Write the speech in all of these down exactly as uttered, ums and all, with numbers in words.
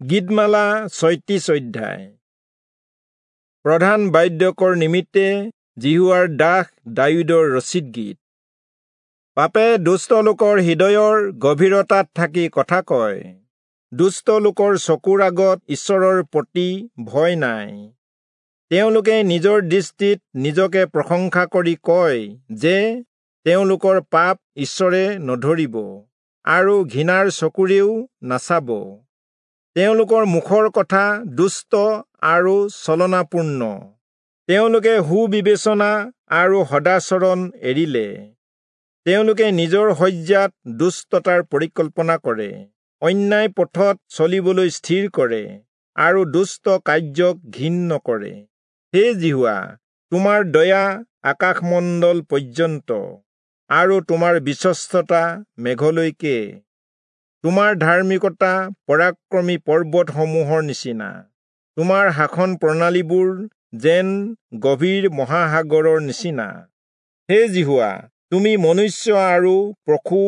গীতমালা ছয়ত্ৰিশ অধ্যায়। প্ৰধান বাদ্যকৰ নিমিত্তে যিহোৱাৰ দাস দায়ূদৰ ৰচিত গীত। পাপে দুষ্ট লোকৰ হৃদয়ৰ গভীৰতাত থাকি কথা কয়। দুষ্ট লোকৰ চকুৰ আগত ঈশ্বৰৰ প্ৰতি ভয় নাই। তেওঁলোকে নিজৰ দৃষ্টিত নিজকে প্ৰশংসা কৰি কয় যে তেওঁলোকৰ পাপ ঈশ্বৰে নধৰিব আৰু ঘৃণাৰ চকুৰেও নাচাব। তেওঁলোকৰ মুখৰ কথা দুষ্ট আৰু ছলনাপূৰ্ণ। তেওঁলোকে সুবিবেচনা আৰু সদাচৰণ এৰিলে। তেওঁলোকে নিজৰ শয্যাত দুষ্টতাৰ পৰিকল্পনা কৰে, অন্যায় পথত চলিবলৈ স্থিৰ কৰে আৰু দুষ্ট কাৰ্যক ঘিণ নকৰে। হে যিহোৱা, তোমাৰ দয়া আকাশমণ্ডল পৰ্যন্ত আৰু তোমাৰ বিশ্বস্ততা মেঘলৈকে। তোমাৰ ধাৰ্মিকতা পৰাক্ৰমী পৰ্বতসমূহৰ নিচিনা, তোমাৰ শাসন প্ৰণালীবোৰ যেন গভীৰ মহাসাগৰৰ নিচিনা। হে যিহোৱা, তুমি মনুষ্য আৰু পশু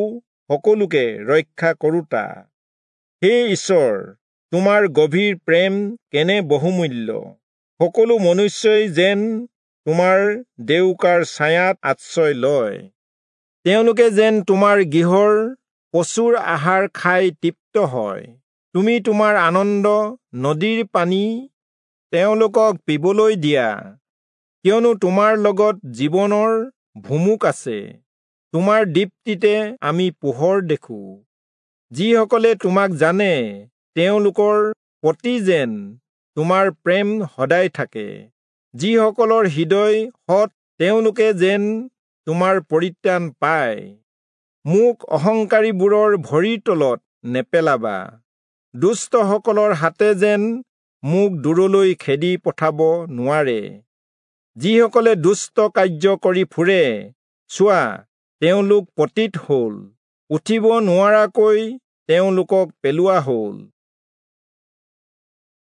সকলোকে ৰক্ষা কৰোঁতা। হে ঈশ্বৰ, তোমাৰ গভীৰ প্ৰেম কেনে বহুমূল্য! সকলো মনুষ্যই যেন তোমাৰ ডেউকাৰ ছায়াত আশ্ৰয় লয়। তেওঁলোকে যেন তোমাৰ গৃহৰ প্ৰচুৰ আহাৰ খাই তৃপ্ত হয়। তুমি তোমাৰ আনন্দ নদীৰ পানী তেওঁলোকক পিবলৈ দিয়া, কিয়নো তোমাৰ লগত জীৱনৰ ভুমুক আছে। তোমাৰ দীপ্তিতে আমি পোহৰ দেখোঁ। যিসকলে তোমাক জানে তেওঁলোকৰ প্ৰতি যেন তোমাৰ প্ৰেম সদায় থাকে। যিসকলৰ হৃদয় সৎ তেওঁলোকে যেন তোমাৰ পৰিত্ৰাণ পায়। মোক অহংকাৰীবোৰৰ ভৰিৰ তলত নেপেলাবা, দুষ্টসকলৰ হাতে যেন মোক দূৰলৈ খেদি পঠাব নোৱাৰে। যিসকলে দুষ্ট কাৰ্য কৰি ফুৰে, চোৱা, তেওঁলোক পতিত হ'ল, উঠিব নোৱাৰাকৈ তেওঁলোকক পেলোৱা হ'ল।